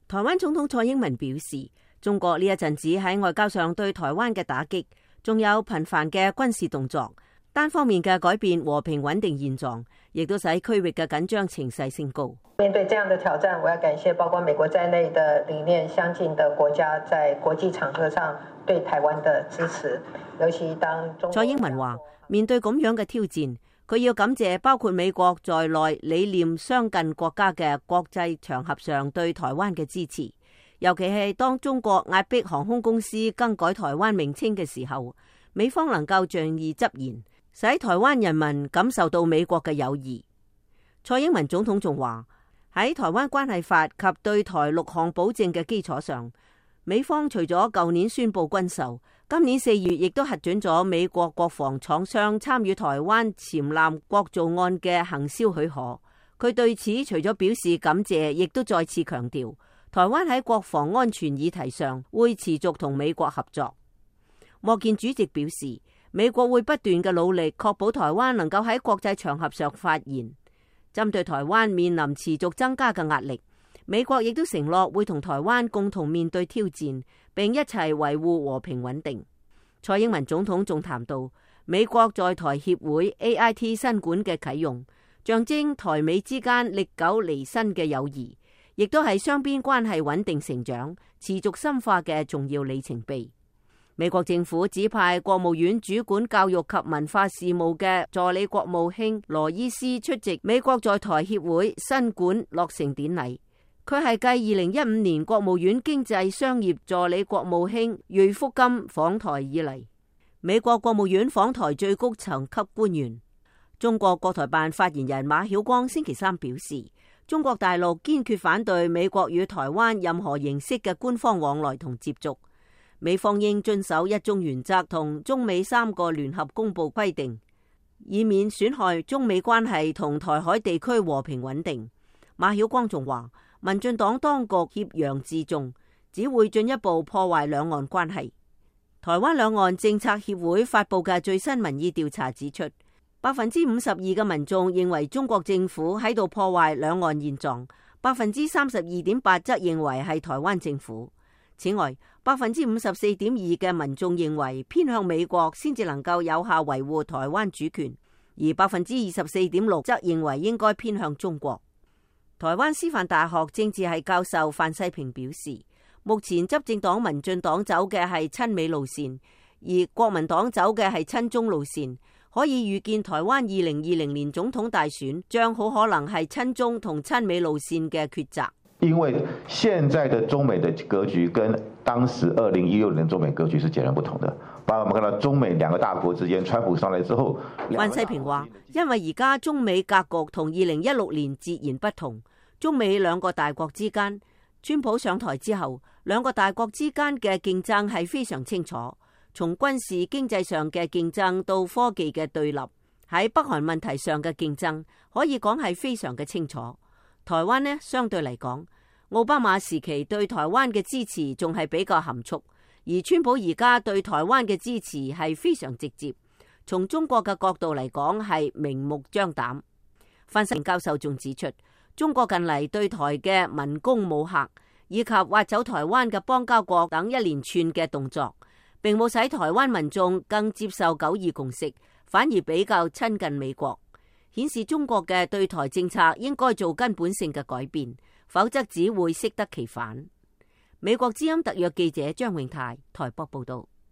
台灣總統蔡英文表示，中國呢一陣子喺外交上對台灣嘅打擊，仲有頻繁嘅軍事動作，單方面嘅改變和平穩定現狀，亦都使區域嘅緊張情勢升高。面對這樣的挑戰，我要感謝包括美國在內的理念相近的國家在國際場合上對台灣的支持。尤其當蔡英文話，面對咁樣嘅挑戰，佢要感謝包括美國在內理念相近國家嘅國際場合上對台灣嘅支持，尤其係當中國壓迫航空公司更改台灣名稱嘅時候，美方能夠仗義執言，使台灣人民感受到美國嘅友誼。蔡英文總統仲話，喺台灣關係法及對台6項保證嘅基礎上，美方除咗舊年宣布軍售，今年4月亦都核准咗美國國防廠商參與台灣潛艦國造案嘅行銷許可。佢對此除咗表示感謝，亦都再次強調，台灣喺國防安全議題上會持續同美國合作。莫健主席表示，美國會不斷嘅努力，確保台灣能夠喺國際場合上發言。針對台灣面臨持續增加嘅壓力，美國亦都承諾會同台灣共同面對挑戰，並一齊維護和平穩定。蔡英文總統仲談到美國在台協會 AIT 新館嘅啟用，象徵台美之間歷久彌新嘅友誼，亦都係雙邊關係穩定成長、持續深化嘅重要里程碑。美國政府指派國務院主管教育及文化事務嘅助理國務卿羅伊斯出席美國在台協會新館落成典禮。佢係繼2015年國務院經濟商業助理國務卿芮福金訪台以嚟，美國國務院訪台最高層級官員。中國國台辦發言人馬曉光星期三表示，中國大陸堅決反對美國與台灣任何形式嘅官方往來同接觸。美方應遵守一中原則同中美3個聯合公報規定，以免損害中美關係同台海地區和平穩定。馬曉光仲話，民進黨當局挾洋自重，只會進一步破壞兩岸關係。台灣兩岸政策協會發布嘅最新民意調查指出，52%嘅民眾認為中國政府喺度破壞兩岸現狀，32.8%則認為係台灣政府。此外，54.2%嘅民眾認為偏向美國先至能夠有效維護台灣主權，而24.6%則認為應該偏向中國。台灣師範大學政治系教授范世平表示，目前執政黨民進黨走嘅係親美路線，而國民黨走嘅係親中路線，可以預見台灣2020年總統大選將好可能係親中同親美路線嘅抉擇。因為現在的中美的格局跟當時2016年中美格局是截然不同的，包括我們看到中美兩個大國之間，川普上來之後，范世平話，因為而家中美格局同2016年截然不同，中美兩個大國之間，川普上台之後，兩個大國之間嘅競爭係非常清楚，從軍事經濟上嘅競爭到科技嘅對立，喺北韓問題上嘅競爭可以講係非常嘅清楚。台灣呢，相對嚟講，奧巴馬時期對台灣嘅支持仲係比較含蓄，而川普而家對台灣嘅支持係非常直接，從中國嘅角度嚟講係明目張膽。范世平教授仲指出，中國近嚟對台嘅文攻武嚇，以及挖走台灣嘅邦交國等一連串嘅動作，並冇使台灣民眾更接受九二共識，反而比較親近美國，顯示中國嘅對台政策應該做根本性嘅改變，否則只會適得其反。美國之音特約記者張永泰台北報道。